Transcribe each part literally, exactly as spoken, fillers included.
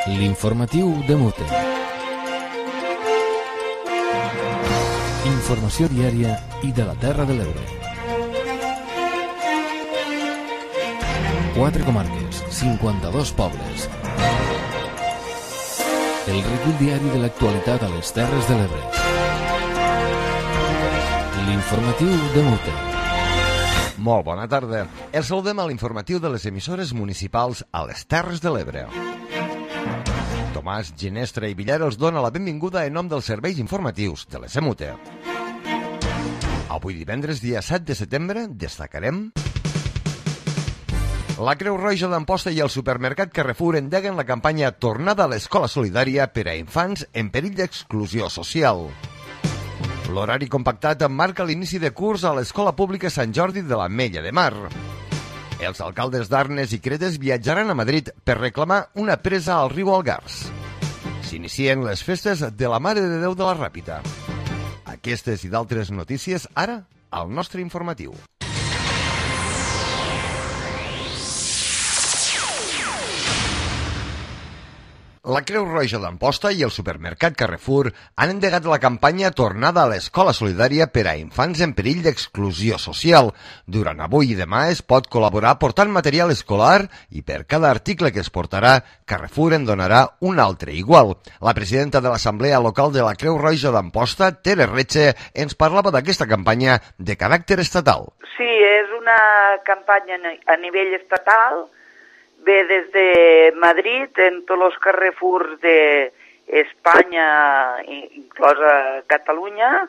L'informatiu de Mute. Informació diària i de la Terra de l'Ebre. Quatre comarques, cinquanta-dos pobles. El recull diari de l'actualitat a les Terres de l'Ebre. L'informatiu de Mute. Molt bona tarda. El saludem a l'informatiu de les emissores municipals a les Terres de l'Ebre. Tomàs Ginestra i Villar els dona la benvinguda en nom dels serveis informatius de les Mute. Avui divendres, dia set de setembre, destacarem... La Creu Roja d'Amposta i el supermercat Carrefour endeguen la campanya Tornada a l'Escola Solidària per a infants en perill d'exclusió social. L'horari compactat marca l'inici de curs a l'Escola Pública Sant Jordi de l'Ametlla de Mar. Els alcaldes d'Arnes i Cretes viatjaran a Madrid per reclamar una presa al riu Algars. S'inicien les festes de la Mare de Déu de la Ràpita. Aquestes i d'altres notícies ara al nostre informatiu. La Creu Roja d'Amposta i el supermercat Carrefour han endegat la campanya Tornada a l'Escola Solidària per a infants en perill d'exclusió social. Durant avui i demà es pot col·laborar portant material escolar i per cada article que es portarà, Carrefour en donarà un altre igual. La presidenta de l'Assemblea Local de la Creu Roja d'Amposta, Tere Retxe, ens parlava d'aquesta campanya de caràcter estatal. Sí, és una campanya a nivell estatal. Ve des de Madrid, en tots els Carrefours d'Espanya, inclosa Catalunya,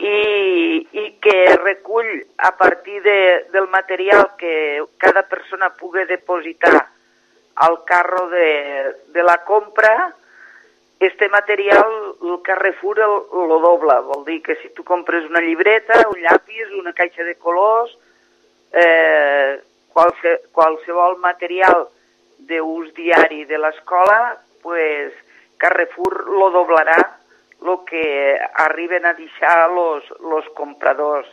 i, i que recull a partir de, del material que cada persona pugui depositar al carro de, de la compra. Este material el Carrefour el, el dobla, vol dir que si tu compres una llibreta, un llapis, una caixa de colors, eh, Qualse, qualsevol material d'ús diari de l'escola, pues Carrefour lo doblarà el que arriben a deixar los, los compradors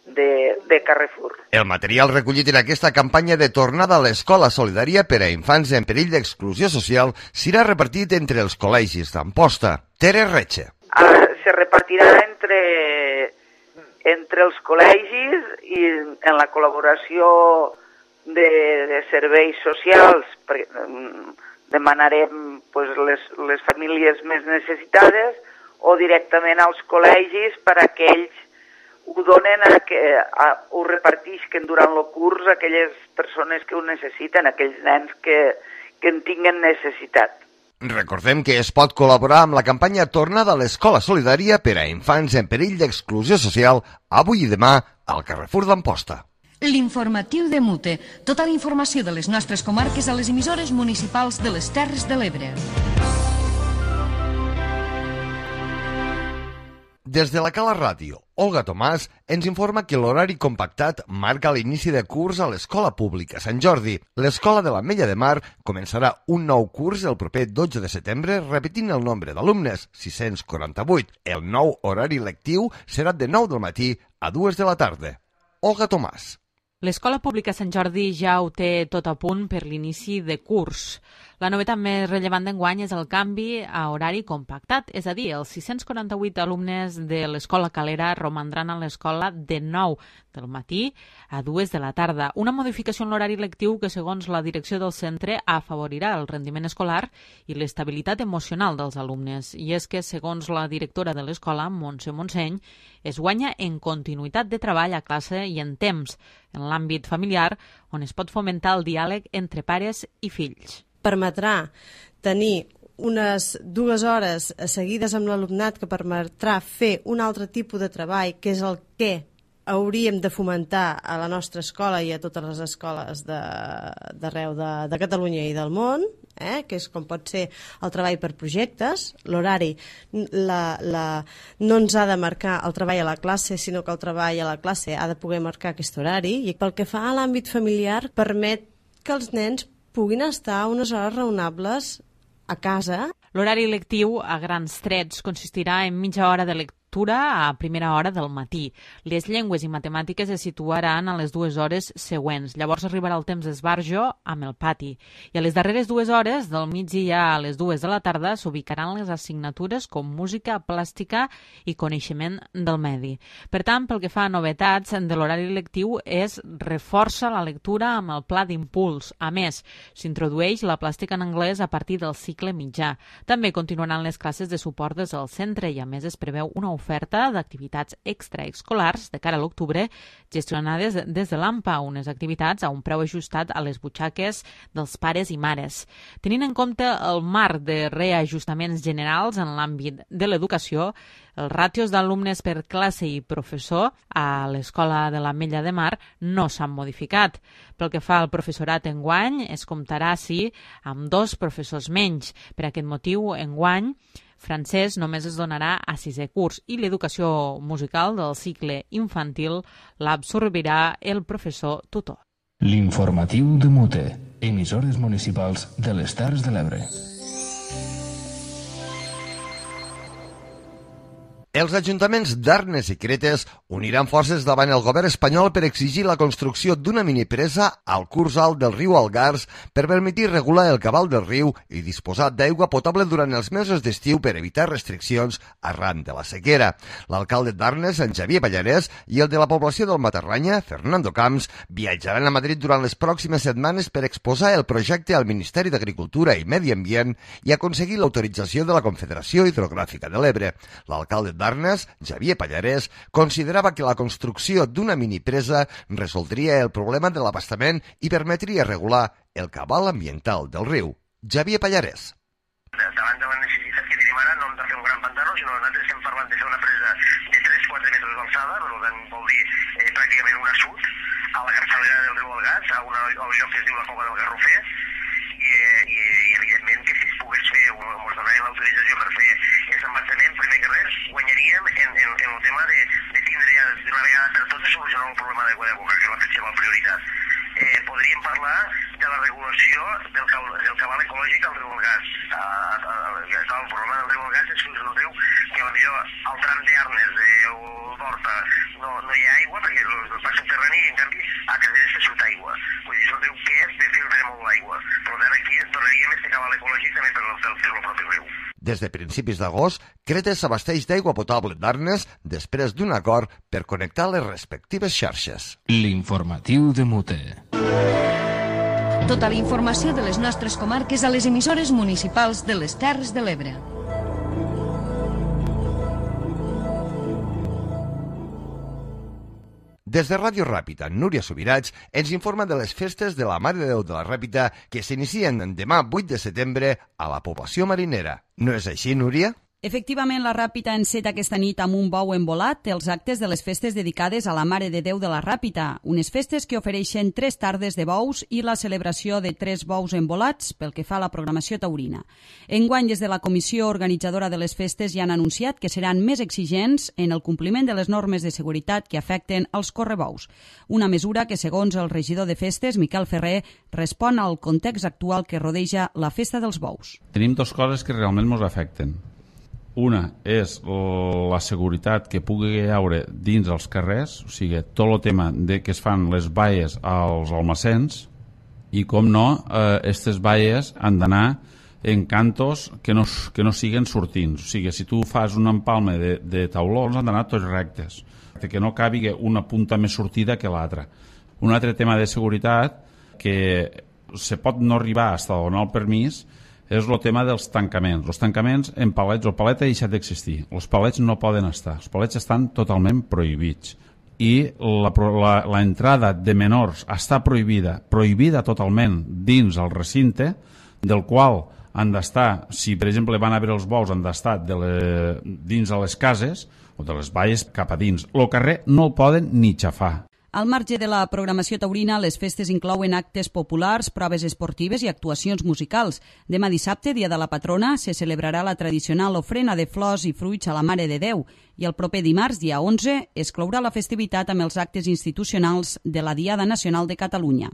de, de Carrefour. El material recollit en aquesta campanya de tornada a l'Escola Solidària per a infants en perill d'exclusió social serà repartit entre els col·legis d'Amposta. Tere Retxe. Ah, se repartirà entre... entre els col·legis i en la col·laboració de, de serveis socials demanarem pues, les, les famílies més necessitades o directament als col·legis per a que ells ho donen, a que, a, ho repartisquen durant el curs a aquelles persones que ho necessiten, aquells nens que, que en tinguen necessitat. Recordem que es pot col·laborar amb la campanya Tornada a l'Escola Solidària per a infants en perill d'exclusió social avui i demà al Carrefour d'Amposta. L'informatiu de Mute. Tota la informació de les nostres comarques a les emissores municipals de les Terres de l'Ebre. Des de la Cala Ràdio, Olga Tomàs ens informa que l'horari compactat marca l'inici de curs a l'Escola Pública Sant Jordi. L'Escola de l'Ametlla de Mar començarà un nou curs el proper dotze de setembre, repetint el nombre d'alumnes, sis-cents quaranta-vuit. El nou horari lectiu serà de nou del matí a dues de la tarda. Olga Tomàs. L'Escola Pública Sant Jordi ja ho té tot a punt per l'inici de curs. La novetat més rellevant d'enguany és el canvi a horari compactat, és a dir, els sis-cents quaranta-vuit alumnes de l'Escola Calera romandran a l'escola de nou del matí a dues de la tarda. Una modificació en l'horari lectiu que, segons la direcció del centre, afavorirà el rendiment escolar i l'estabilitat emocional dels alumnes. I és que, segons la directora de l'escola, Montse Montseny, es guanya en continuïtat de treball a classe i en temps, en l'àmbit familiar, on es pot fomentar el diàleg entre pares i fills. Permetrà tenir unes dues hores seguides amb l'alumnat que permetrà fer un altre tipus de treball, que és el que hauríem de fomentar a la nostra escola i a totes les escoles d'arreu de, de, de Catalunya i del món, eh? Que és com pot ser el treball per projectes. L'horari la, la, no ens ha de marcar el treball a la classe, sinó que el treball a la classe ha de poder marcar aquest horari, i pel que fa a l'àmbit familiar permet que els nens puguin estar unes hores raonables a casa. L'horari lectiu, a grans trets, consistirà en mitja hora de lectura lectura a primera hora del matí. Les llengües i matemàtiques es situaran a les dues hores següents. Llavors arribarà el temps d'esbarjo amb el pati. I a les darreres dues hores, del migdia a les dues de la tarda, s'ubicaran les assignatures com música, plàstica i coneixement del medi. Per tant, pel que fa a novetats de l'horari lectiu, es reforça la lectura amb el pla d'impuls. A més, s'introdueix la plàstica en anglès a partir del cicle mitjà. També continuaran les classes de suport des del centre i, a més, es preveu una oferta d'activitats extraescolars de cara a l'octubre gestionades des de l'A M P A, unes activitats a un preu ajustat a les butxaques dels pares i mares. Tenint en compte el marc de reajustaments generals en l'àmbit de l'educació, els ràtios d'alumnes per classe i professor a l'Escola de l'Ametlla de Mar no s'han modificat. Pel que fa al professorat enguany, es comptarà, sí, amb dos professors menys. Per aquest motiu, enguany, francès només es donarà a sisè curs i l'educació musical del cicle infantil l'absorbirà el professor tutor. L'informatiu de Mute, emissores municipals de les Terres de l'Ebre. Els ajuntaments d'Arnes i Cretes uniran forces davant el govern espanyol per exigir la construcció d'una minipresa al curs alt del riu Algars per permetir regular el cabal del riu i disposar d'aigua potable durant els mesos d'estiu per evitar restriccions arran de la sequera. L'alcalde d'Arnes, en Xavier Pallarès, i el de la població del Matarranya, Fernando Camps, viatjaran a Madrid durant les pròximes setmanes per exposar el projecte al Ministeri d'Agricultura i Medi Ambient i aconseguir l'autorització de la Confederació Hidrogràfica de l'Ebre. L'alcalde d'Arnes, Xavier Pallarès, considerava que la construcció d'una minipresa resoldria el problema de l'abastament i permetria regular el cabal ambiental del riu. Xavier Pallarès. Davant de la necessitat que tenim ara, no hem de fer un gran pantano, sinó que nosaltres estem parlant de fer una presa de tres a quatre metres d'alçada, per tant vol dir eh, pràcticament un assut, a la capçalera del riu Algars, a, una, a un lloc que es diu la Cova del Garrofer, i, i, i evidentment que si es pogués fer, ens donaria l'autorització per fer aquest embassament, primer que res, guanyaríem en, en, en el tema de, de tindre ja d'una vegada per totes solucionar un problema d'aigua de boca, que és la principal prioritat. Eh, podríem parlar de la regulació del, del cabal ecològic al riu Algars. El problema del riu Algars és que és un riu que potser al tram d'Arnes o d'Horta no, no hi ha aigua perquè el pas subterrani i en canvi a Caseres se surt aigua. Vull dir, és un riu que és de filtre molt l'aigua. Per tant, aquí donaríem este cabal ecològic també per el propi riu. Des de principis d'agost, Cretes s'abasteix d'aigua potable d'Arnes després d'un acord per connectar les respectives xarxes. L'informatiu de Mute. Tota la informació de les nostres comarques a les emissores municipals de les Terres de l'Ebre. Des de Ràdio Ràpita, Núria Subirats ens informa de les festes de la Mare de Déu de la Ràpita que s'inicien demà vuit de setembre a la població marinera. No és així, Núria? Efectivament, la Ràpita enceta aquesta nit amb un bou envolat els actes de les festes dedicades a la Mare de Déu de la Ràpita, unes festes que ofereixen tres tardes de bous i la celebració de tres bous envolats pel que fa a la programació taurina. Enguany, des de la comissió organitzadora de les festes ja han anunciat que seran més exigents en el compliment de les normes de seguretat que afecten els correbous, una mesura que, segons el regidor de festes, Miquel Ferrer, respon al context actual que rodeja la festa dels bous. Tenim dues coses que realment ens afecten. Una és la seguretat que pugui haure dins els carrers, o sigui, tot el tema de que es fan les valles als almacens i, com no, aquestes eh, valles han d'anar en cantos que no, que no siguen sortints. O sigui, si tu fas un empalme de, de taulons han d'anar tots rectes, que no cabi una punta més sortida que l'altra. Un altre tema de seguretat que se pot no arribar fins a donar el permís és el tema dels tancaments. Els tancaments en palets, el palet ha deixat d'existir. Els palets no poden estar. Els palets estan totalment prohibits. I l'entrada de menors està prohibida, prohibida totalment dins el recinte, del qual han d'estar, si per exemple van a veure els bous, han d'estar de le, dins de les cases o de les valles cap a dins. El carrer no el poden ni xafar. Al marge de la programació taurina, les festes inclouen actes populars, proves esportives i actuacions musicals. Demà dissabte, dia de la patrona, se celebrarà la tradicional ofrena de flors i fruits a la Mare de Déu i el proper dimarts, dia onze, es clourà la festivitat amb els actes institucionals de la Diada Nacional de Catalunya.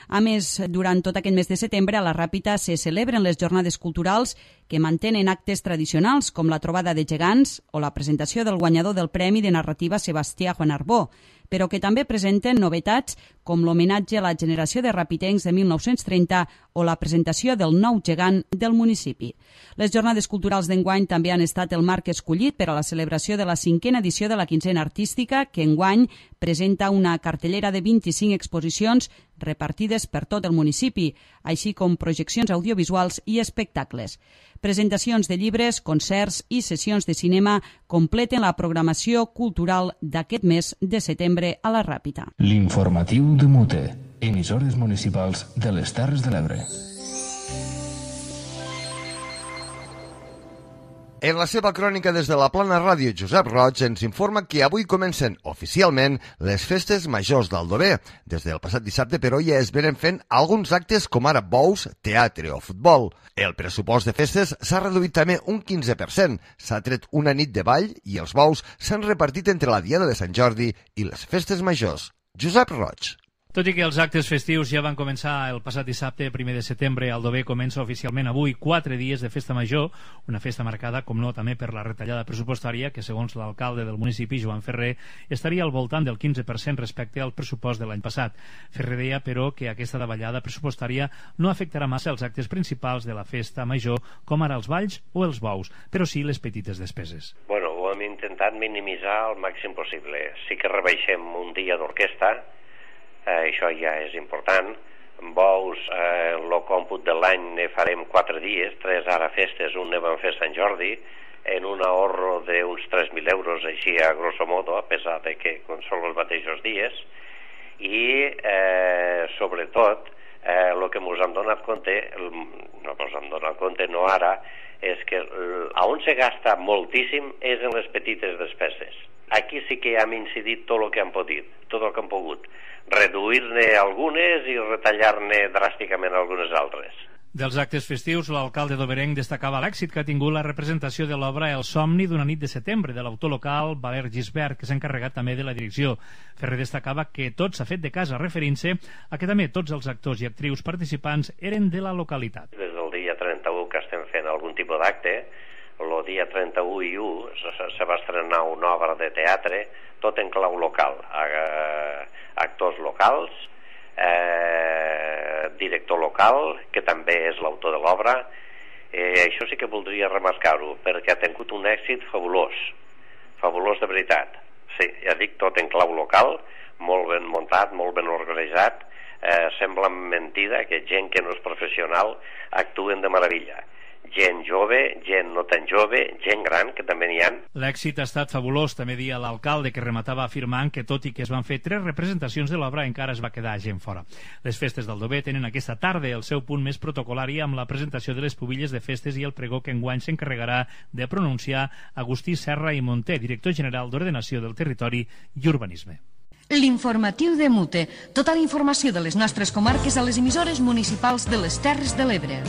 A més, durant tot aquest mes de setembre, a la Ràpita se celebren les jornades culturals que mantenen actes tradicionals com la trobada de gegants o la presentació del guanyador del Premi de Narrativa Sebastià Juan Arbó, però que també presenten novetats com l'homenatge a la generació de rapitencs de mil nou-cents trenta o la presentació del nou gegant del municipi. Les jornades culturals d'enguany també han estat el marc escollit per a la celebració de la cinquena edició de la quinzena artística, que enguany presenta una cartellera de vint-i-cinc exposicions repartides per tot el municipi, així com projeccions audiovisuals i espectacles. Presentacions de llibres, concerts i sessions de cinema completen la programació cultural d'aquest mes de setembre a la Ràpita. L'informatiu de Mute, emissores municipals de les Terres de l'Ebre. En la seva crònica des de la Plana Ràdio, Josep Roig ens informa que avui comencen oficialment les festes majors d'Aldover. Des del passat dissabte, però, ja es venen fent alguns actes com ara bous, teatre o futbol. El pressupost de festes s'ha reduït també un quinze per cent. S'ha tret una nit de ball i els bous s'han repartit entre la Diada de Sant Jordi i les festes majors. Josep Roig. Tot i que els actes festius ja van començar el passat dissabte, primer de setembre, Aldover comença oficialment avui quatre dies de festa major, una festa marcada, com no, també per la retallada pressupostària, que segons l'alcalde del municipi, Joan Ferrer, estaria al voltant del quinze per cent respecte al pressupost de l'any passat. Ferrer deia, però, que aquesta davallada pressupostària no afectarà massa els actes principals de la festa major, com ara els balls o els bous, però sí les petites despeses. Bueno, ho hem intentat minimitzar al màxim possible. Sí que rebaixem un dia d'orquestra, Eh, això ja és important. Bous, eh, el còmput de l'any ne farem quatre dies, tres ara festes, un ne vam fer Sant Jordi, en un ahorro d'uns tres mil euros, així a grosso modo, a pesar de que són els mateixos dies, i eh, sobretot eh, el que ens hem donat compte, el, no ens hem donat compte, no ara, és que el, on se gasta moltíssim és en les petites despeses. Aquí sí que hem incidit tot el que hem pogut, tot el que hem pogut, reduir-ne algunes i retallar-ne dràsticament algunes altres. Dels actes festius, l'alcalde d'Oberenc destacava l'èxit que ha tingut la representació de l'obra El somni d'una nit de setembre de l'autor local Valer Gisbert, que s'ha encarregat també de la direcció. Ferrer destacava que tot s'ha fet de casa, referint-se a que també tots els actors i actrius participants eren de la localitat. Des del dia trenta-u que estem fent algun tipus d'acte, el dia trenta-u i u se va estrenar una obra de teatre, tot en clau local, actors locals, eh, director local, que també és l'autor de l'obra. Eh, això sí que voldria remarcar-ho, perquè ha tingut un èxit fabulós, fabulós de veritat. Sí, ja dic, tot en clau local, molt ben muntat, molt ben organitzat, eh, sembla mentida que gent que no és professional actuen de meravella. Gent jove, gent no tan jove, gent gran, que també n'hi ha. L'èxit ha estat fabulós, també dia l'alcalde, que rematava afirmant que tot i que es van fer tres representacions de l'obra encara es va quedar gent fora. Les festes d'Aldover tenen aquesta tarda el seu punt més protocolari amb la presentació de les pubilles de festes i el pregó que enguany s'encarregarà de pronunciar Agustí Serra i Monter, director general d'Ordenació del Territori i Urbanisme. L'informatiu de Mute. Tota la informació de les nostres comarques a les emissores municipals de les Terres de l'Ebre.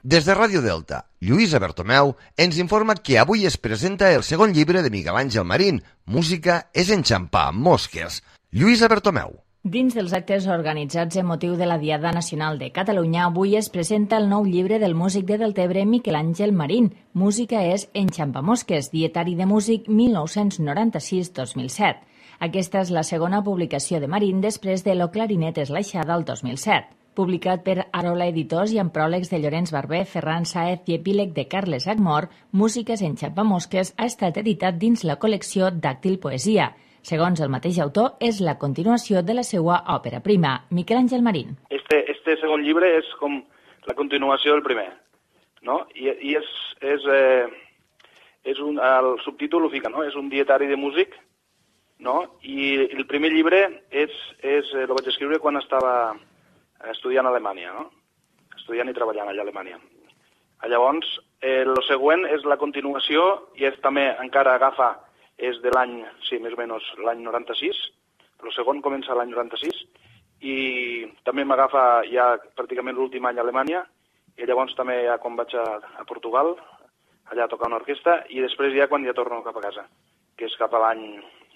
Des de Ràdio Delta, Lluïsa Bertomeu ens informa que avui es presenta el segon llibre de Miguel Àngel Marín, Música és enxampar mosques. Lluïsa Bertomeu. Dins dels actes organitzats en motiu de la Diada Nacional de Catalunya, avui es presenta el nou llibre del músic de Deltebre Miquel Àngel Marín, Música és enxampamosques, dietari de músic mil nou-cents noranta-sis a dos mil set. Aquesta és la segona publicació de Marín després de Lo clarinet és l'aixada el dos mil set. Publicat per Arola Editors i amb pròlegs de Llorenç Barber, Ferran Sáez i epíleg de Carles Agmor, Músiques enxampamosques ha estat editat dins la col·lecció Dàctil Poesia. Segons el mateix autor, és la continuació de la seva òpera prima, Miquel Àngel Marín. Este, este segon llibre és com la continuació del primer, no? I, i és, és, eh, és un, el subtítol ho fica, no? És un dietari de músic, no? I el primer llibre és, és, eh, el vaig escriure quan estava estudiant a Alemanya, no? Estudiant i treballant allà a Alemanya. Llavors, el eh, següent és la continuació i és també encara agafa és de l'any, sí, més o menys l'any noranta-sis, el segon comença l'any noranta-sis, i també m'agafa ja pràcticament l'últim any a Alemanya, i llavors també ja quan vaig a, a Portugal, allà a tocar una orquestra, i després ja quan ja torno cap a casa, que és cap a l'any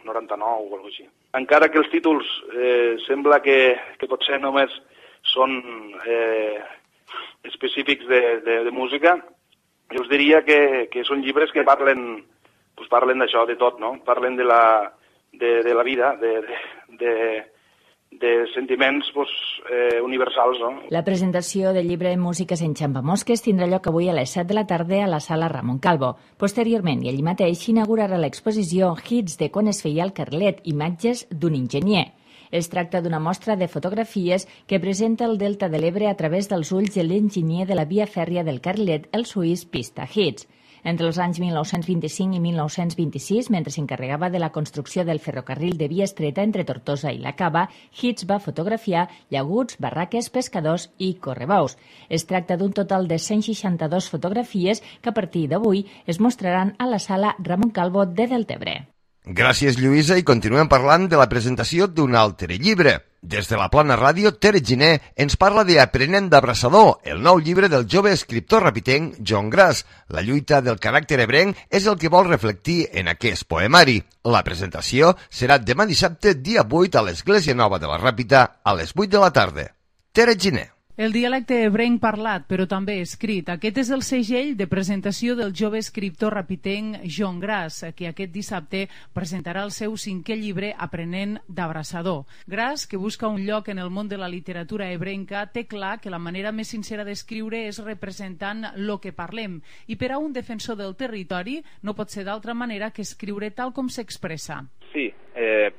noranta-nou o alguna cosa així. Encara que els títols eh, sembla que, que potser només són eh, específics de, de, de música, jo us diria que, que són llibres que parlen, pues parlen d'això, de tot, no? Parlen de la, de, de la vida, de, de, de, de sentiments pues, eh, universals, no? La presentació del llibre Músiques en Xampamosques tindrà lloc avui a les set de la tarda a la sala Ramon Calvo. Posteriorment, i allí mateix, s'inaugurarà l'exposició Hits de quan es feia el Carlet, imatges d'un enginyer. Es tracta d'una mostra de fotografies que presenta el Delta de l'Ebre a través dels ulls de l'enginyer de la via fèrria del Carlet, el suís Pista Hits. Entre els anys mil nou-cents vint-i-cinc i mil nou-cents vint-i-sis, mentre s'encarregava de la construcció del ferrocarril de via estreta entre Tortosa i la Cava, Hits va fotografiar llaguts, barraques, pescadors i correbaus. Es tracta d'un total de cent seixanta-dues fotografies que a partir d'avui es mostraran a la sala Ramon Calvo de Deltebre. Gràcies, Lluïsa, i continuem parlant de la presentació d'un altre llibre. Des de la Plana Ràdio, Tere Giner ens parla de Aprenent d'abraçador, el nou llibre del jove escriptor rapitenc John Grass. La lluita del caràcter ebrenc és el que vol reflectir en aquest poemari. La presentació serà demà dissabte, dia vuit, a l'Església Nova de la Ràpita, a les vuit de la tarda. Tere Giner. El dialecte ebrenc parlat, però també escrit. Aquest és el segell de presentació del jove escriptor rapitenc John Grass, que aquest dissabte presentarà el seu cinquè llibre Aprenent d'abraçador. Grass, que busca un lloc en el món de la literatura ebrenca, té clar que la manera més sincera d'escriure és representant lo que parlem, i per a un defensor del territori no pot ser d'altra manera que escriure tal com s'expressa. Sí, eh,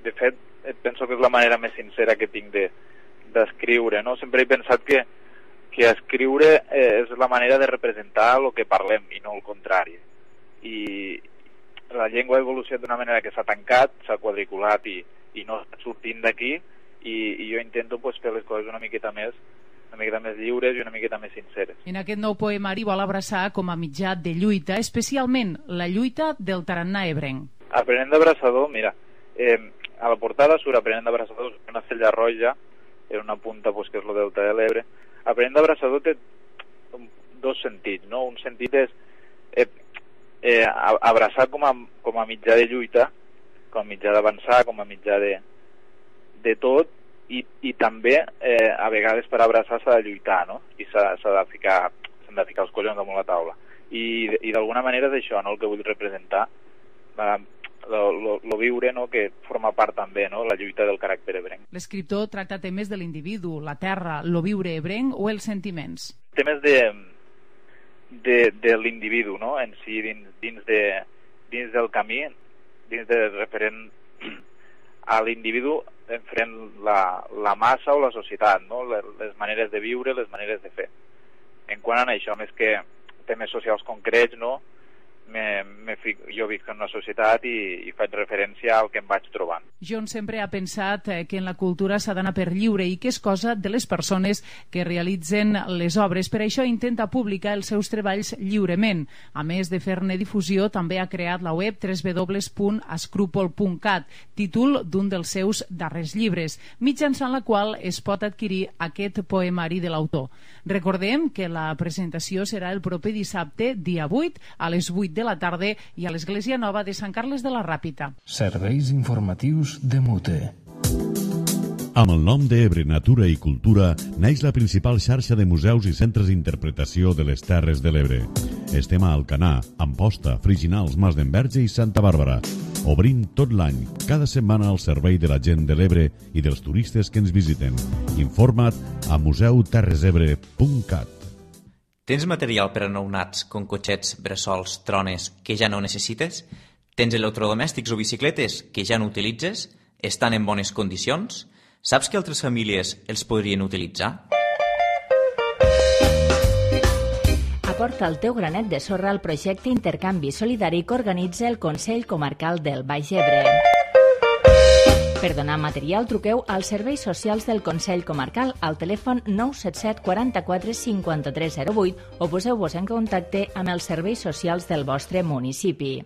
de fet, penso que és la manera més sincera que tinc de d'escriure, no? Sempre he pensat que, que escriure eh, és la manera de representar el que parlem i no el contrari. I la llengua ha evolucionat d'una manera que s'ha tancat, s'ha quadriculat i, i no està sortint d'aquí, i, i jo intento pues, fer les coses una miqueta més una miqueta més lliures i una miqueta més sinceres. En aquest nou poemari vol abraçar com a mitjà de lluita, especialment la lluita del tarannà ebrenc. Aprenent d'abraçador, mira, eh, a la portada surt Aprenent d'abraçador, una cella roja, en una punta pues, que és el Delta de l'Ebre. Aprenent d'abraçador té dos sentits, no? Un sentit és eh, eh, abraçar com a, com a mitjà de lluita, com a mitjà d'avançar, com a mitjà de, de tot, i, i també eh, a vegades per abraçar s'ha de lluitar, no? I s'ha de ficar, s'han de ficar els collons damunt la taula. I, i d'alguna manera és això, no?, el que vull representar. Eh, Lo, lo, lo viure, no?, que forma part també, no?, la lluita del caràcter ebrenc. L'escriptor tracta temes de l'individu, la terra, lo viure ebrenc o els sentiments? Temes de, de, de l'individu, no?, en si, dins, dins, de, dins del camí, dins de referent a l'individu enfrent la, la massa o la societat, no?, les, les maneres de viure, les maneres de fer. En quant a això, més que temes socials concrets, no?, Me, me fic, jo visc en una societat i, i faig referència al que em vaig trobant. John sempre ha pensat que en la cultura s'ha d'anar per lliure i que és cosa de les persones que realitzen les obres. Per això intenta publicar els seus treballs lliurement. A més de fer-ne difusió, també ha creat la web w w w punt escrúpol punt cat, títol d'un dels seus darrers llibres, mitjançant la qual es pot adquirir aquest poemari de l'autor. Recordem que la presentació serà el proper dissabte, dia vuit, a les vuit de la tarda i a l'Església Nova de Sant Carles de la Ràpita. Serveis informatius de Mute. Amb el nom d'Ebre Natura i Cultura naix la principal xarxa de museus i centres d'interpretació de les Terres de l'Ebre. Estem a Alcanar, Amposta, Friginals, Mas d'Enverge i Santa Bàrbara. Obrint tot l'any, cada setmana al servei de la gent de l'Ebre i dels turistes que ens visiten. Informa't a museu terres ebre punt cat. Tens material per a nounats, com cotxets, bressols, trones, que ja no necessites? Tens electrodomèstics o bicicletes que ja no utilitzes? Estan en bones condicions? Saps que altres famílies els podrien utilitzar? Aporta el teu granet de sorra al projecte Intercanvi Solidari que organitza el Consell Comarcal del Baix Ebre. Per donar material, truqueu als serveis socials del Consell Comarcal al telèfon nou set set quaranta-quatre cinquanta-tres zero vuit o poseu-vos en contacte amb els serveis socials del vostre municipi.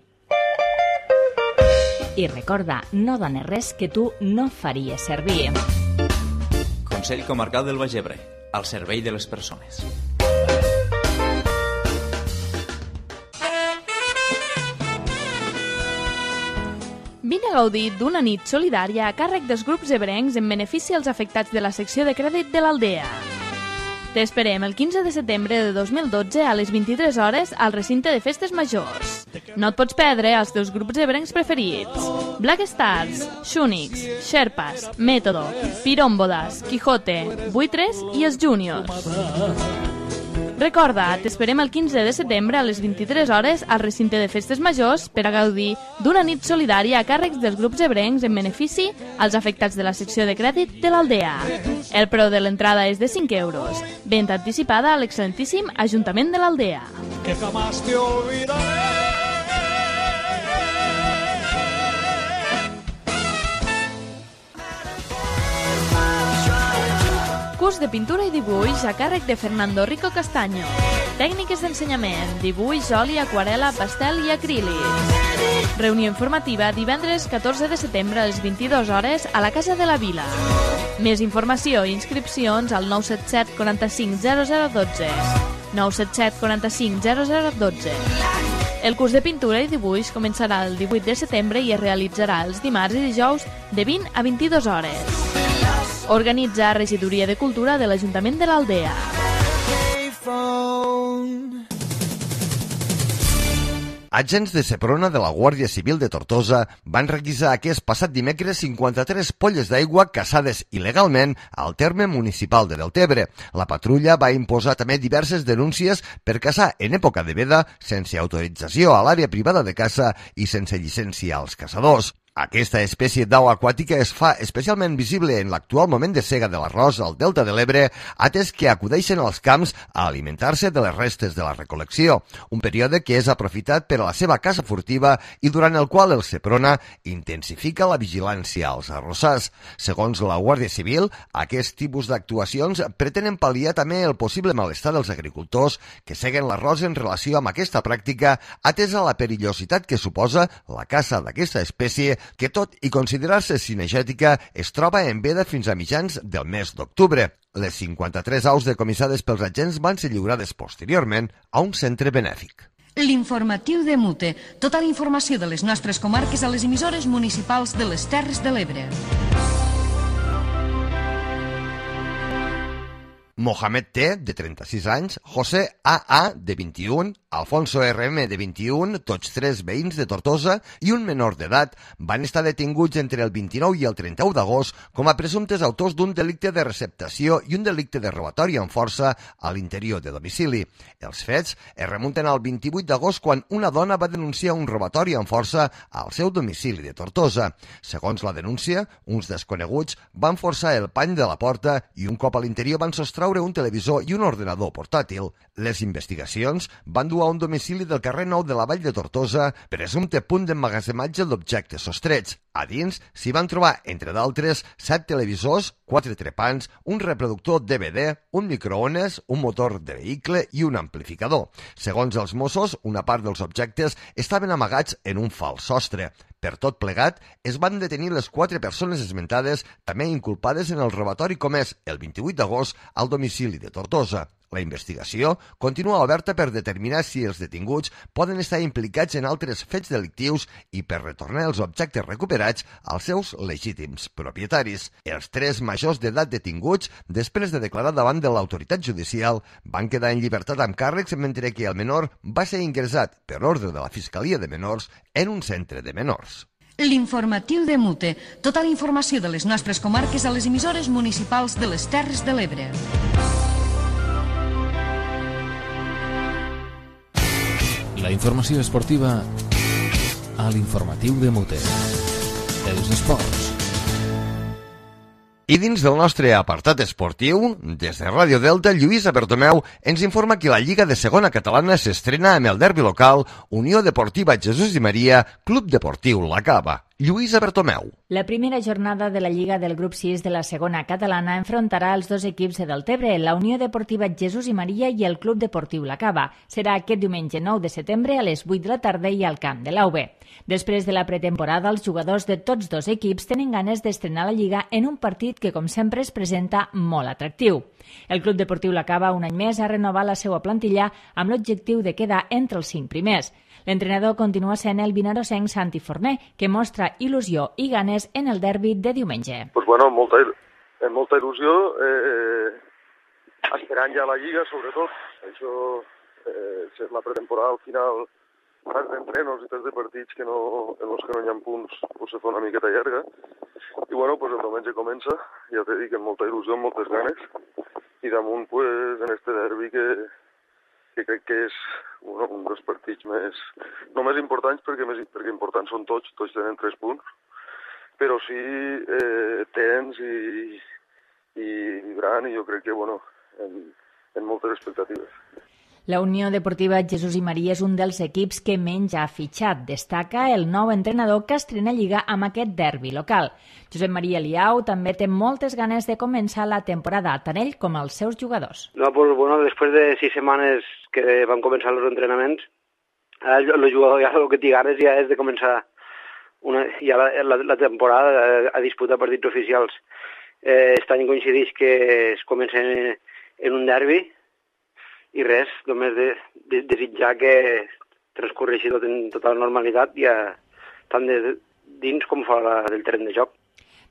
I recorda, no dones res que tu no faries servir. Consell Comarcal del Baix Ebre, al servei de les persones. Vine a gaudir d'una nit solidària a càrrec dels grups ebrencs en benefici als afectats de la secció de crèdit de l'Aldea. T'esperem el quinze de setembre de dos mil dotze a les vint-i-tres hores al recinte de Festes Majors. No et pots perdre els teus grups ebrencs preferits: Black Stars, Shunix, Sherpas, Método, Pirómbodas, Quijote, Buitres i els Júniors. Recorda, t'esperem el quinze de setembre a les vint-i-tres hores al recinte de Festes Majors per a gaudir d'una nit solidària a càrrecs dels grups ebrencs en benefici als afectats de la secció de crèdit de l'Aldea. El preu de l'entrada és de cinc euros. Venda anticipada a l'excel·lentíssim Ajuntament de l'Aldea. Que jamás te olvidaré. Curs de pintura i dibuix a càrrec de Fernando Rico Castaño. Tècniques d'ensenyament, dibuix, oli, aquarela, pastel i acrílic. Reunió informativa divendres catorze de setembre a les vint-i-dues hores a la Casa de la Vila. Més informació i inscripcions al nou set set quaranta-cinc zero zero dotze. nou set set quaranta-cinc zero zero dotze. El curs de pintura i dibuix començarà el divuit de setembre i es realitzarà els dimarts i dijous de vint a vint-i-dues hores. Organitza Regidoria de Cultura de l'Ajuntament de l'Aldea. Agents de Seprona de la Guàrdia Civil de Tortosa van requisar aquest passat dimecres cinquanta-tres polles d'aigua caçades il·legalment al terme municipal de Deltebre. La patrulla va imposar també diverses denúncies per caçar en època de veda sense autorització a l'àrea privada de caça i sense llicència als caçadors. Aquesta espècie d'au aquàtica es fa especialment visible en l'actual moment de sega de l'arròs al Delta de l'Ebre, atès que acudeixen als camps a alimentar-se de les restes de la recol·lecció, un període que és aprofitat per a la seva caça furtiva i durant el qual el Seprona intensifica la vigilància als arrossars. Segons la Guàrdia Civil, aquest tipus d'actuacions pretenen pal·liar també el possible malestar dels agricultors que seguen l'arròs en relació amb aquesta pràctica, atesa la perillositat que suposa la caça d'aquesta espècie que tot i considerar-se cinegètica es troba en veda fins a mitjans del mes d'octubre. Les cinquanta-tres aus decomissades pels agents van ser lliurades posteriorment a un centre benèfic. L'informatiu de Mute. Tota la informació de les nostres comarques a les emissores municipals de les Terres de l'Ebre. Mohamed T, de trenta-sis anys, José A A, de vint-i-un, Alfonso R M, de vint-i-un, tots tres veïns de Tortosa, i un menor d'edat van estar detinguts entre el vint-i-nou i el trenta-u d'agost com a presumptes autors d'un delicte de receptació i un delicte de robatori amb força a l'interior de domicili. Els fets es remunten al vint-i-vuit d'agost quan una dona va denunciar un robatori amb força al seu domicili de Tortosa. Segons la denúncia, uns desconeguts van forçar el pany de la porta i un cop a l'interior van sostreure un televisor i un ordenador portàtil. Les investigacions van dur a un domicili del carrer Nou de la Vall de Tortosa, presumpte punt d'emmagatzematge d'objectes sostrets. A dins s'hi van trobar, entre d'altres, set televisors, quatre trepants, un reproductor D V D, un microones, un motor de vehicle i un amplificador. Segons els Mossos, una part dels objectes estaven amagats en un fals sostre. Per tot plegat, es van detenir les quatre persones esmentades, també inculpades en el robatori comès el vint-i-vuit d'agost al domicili de Tortosa. La investigació continua oberta per determinar si els detinguts poden estar implicats en altres fets delictius i per retornar els objectes recuperats als seus legítims propietaris. Els tres majors d'edat detinguts, després de declarar davant de l'autoritat judicial, van quedar en llibertat amb càrrecs, mentre que el menor va ser ingressat per ordre de la Fiscalia de Menors en un centre de menors. L'informatiu de Mute. Tota la informació de les nostres comarques a les emissores municipals de les Terres de l'Ebre. La informació esportiva a l'informatiu de Mute. Els esports. I dins del nostre apartat esportiu, des de Ràdio Delta, Lluïsa Bertomeu ens informa que la Lliga de Segona Catalana s'estrena amb el derbi local Unió Deportiva Jesús i Maria, Club Deportiu La Cava. Lluïsa Bertomeu. La primera jornada de la Lliga del grup sis de la segona catalana enfrontarà els dos equips de Deltebre, la Unió Deportiva Jesús i Maria i el Club Deportiu La Cava. Serà aquest diumenge nou de setembre a les vuit de la tarda i al camp de l'A U B. Després de la pretemporada, els jugadors de tots dos equips tenen ganes d'estrenar la Lliga en un partit que, com sempre, es presenta molt atractiu. El Club Deportiu La Cava, un any més, ha renovat la seva plantilla amb l'objectiu de quedar entre els cinc primers. L'entrenador continua sent el vinarosenc Santi Forner, que mostra il·lusió i ganes en el derbi de diumenge. Pues bueno, molta, molta il·lusió, eh, esperant ja la Lliga, sobretot. Això, eh, la pretemporada al final, parts d'entrenos i tants de partits que no, en els que no hi ha punts, pues se fa una miqueta llarga. I bueno, pues el diumenge comença, ja t'he dit que amb molta il·lusió, amb moltes ganes, i damunt, pues, en este derbi que... que crec que és bueno, un dels partits més, no més importants perquè, més, perquè importants són tots, tots tenen tres punts, però sí eh, tens i, i vibrant i jo crec que bueno, en, en moltes expectatives. La Unió Deportiva Jesús i Maria és un dels equips que menys ha fitxat. Destaca el nou entrenador que estrena Lliga amb aquest derbi local. Josep Maria Liau també té moltes ganes de començar la temporada, tant ell com els seus jugadors. No, pues, bueno, després de sis setmanes que van començar els entrenaments, el, el jugador ja el que té ganes ja és de començar una, ja la, la, la temporada a, a disputar partits oficials. Eh, aquest any coincideix que es comença en, en un derbi, i res, només de, de, desitjar que transcorreixi tot en total normalitat, ja tant de dins com fora del terreny de joc.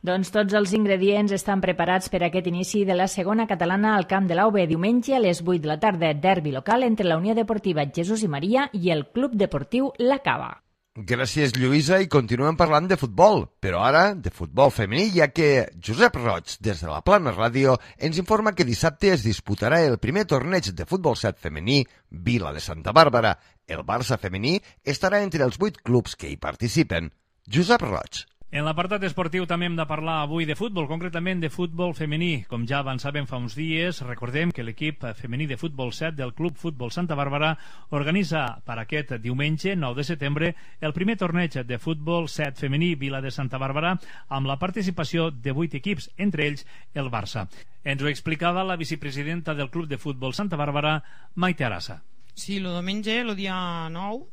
Doncs tots els ingredients estan preparats per a aquest inici de la segona catalana al camp de l'A U B diumenge a les vuit de la tarda, derbi local entre la Unió Deportiva Jesús i Maria i el Club Deportiu La Cava. Gràcies, Lluïsa, i continuem parlant de futbol, però ara de futbol femení, ja que Josep Roig, des de la Plana Ràdio, ens informa que dissabte es disputarà el primer torneig de futbol set femení Vila de Santa Bàrbara. El Barça femení estarà entre els vuit clubs que hi participen. Josep Roig. En l'apartat esportiu també hem de parlar avui de futbol, concretament de futbol femení. Com ja avançàvem fa uns dies, recordem que l'equip femení de futbol set del Club Futbol Santa Bàrbara organitza per aquest diumenge, nou de setembre, el primer torneig de futbol set femení Vila de Santa Bàrbara amb la participació de vuit equips, entre ells el Barça. Ens ho explicava la vicepresidenta del Club de Futbol Santa Bàrbara, Maite Arassa. Sí, el diumenge, el dia nou,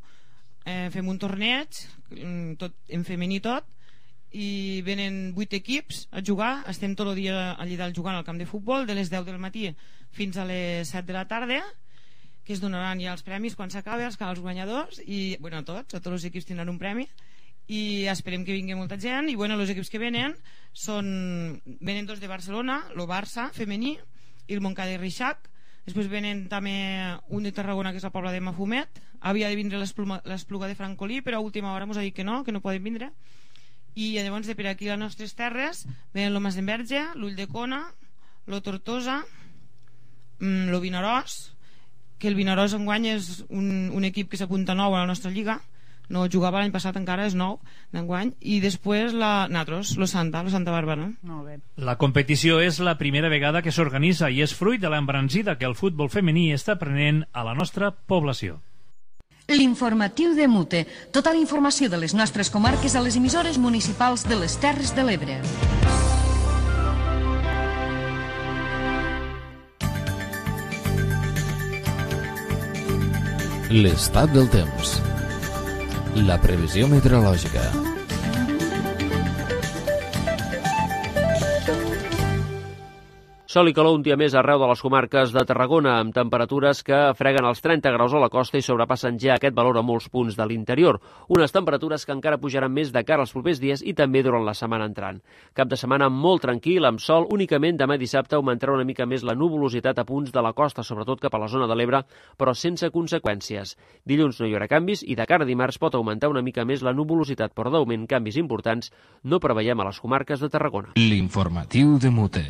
eh, fem un torneig, tot, en femení tot, i venen vuit equips a jugar. Estem tot el dia allà dalt jugant al camp de futbol de les deu del matí fins a les set de la tarda, que es donaran ja els premis quan s'acabi, els, els guanyadors i, bueno, a tots, a tots els equips tindran un premi i esperem que vingui molta gent. I bueno, els equips que venen són, venen dos de Barcelona, el Barça femení i el Montcada i Reixac. Després venen també un de Tarragona, que és la Pobla de Mafumet. Havia de vindre l'Espluga de Francolí, però a última hora ens ha dit que no, que no poden vindre. I llavors de per aquí a les nostres terres venen el Masdenverge, l'Ull de Cona, lo Tortosa, lo Vinaròs, que el Vinaròs enguany és un, un equip que s'apunta nou a la nostra lliga, no jugava l'any passat encara, és nou d'enguany, i després la, nosaltres, lo Santa, lo Santa Bàrbara. Molt bé. La competició és la primera vegada que s'organitza i és fruit de l'embranzida que el futbol femení està prenent a la nostra població. L'informatiu de Mute. Tota la informació de les nostres comarques a les emissores municipals de les Terres de l'Ebre. L'estat del temps. La previsió meteorològica. Sol i calor un dia més arreu de les comarques de Tarragona, amb temperatures que freguen els trenta graus a la costa i sobrepassen ja aquest valor a molts punts de l'interior. Unes temperatures que encara pujaran més de cara als propers dies i també durant la setmana entrant. Cap de setmana molt tranquil, amb sol, únicament demà dissabte augmentarà una mica més la nuvolositat a punts de la costa, sobretot cap a la zona de l'Ebre, però sense conseqüències. Dilluns no hi haurà canvis i de cara a dimarts pot augmentar una mica més la nuvolositat, però d'augment canvis importants no preveiem a les comarques de Tarragona. L'informatiu de Mute.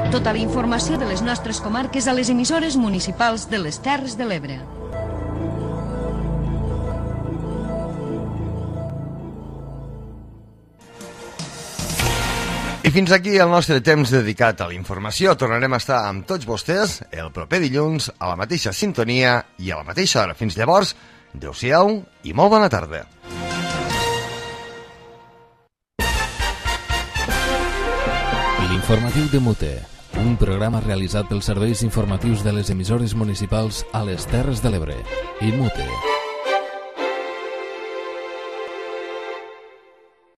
Tota la informació de les nostres comarques a les emissores municipals de les Terres de l'Ebre. I fins aquí el nostre temps dedicat a la informació. Tornarem a estar amb tots vostès el proper dilluns a la mateixa sintonia i a la mateixa hora. Fins llavors, adeu-siau i molt bona tarda. L'informatiu de Mute, un programa realitzat pels serveis informatius de les emissores municipals a les Terres de l'Ebre. I Mute.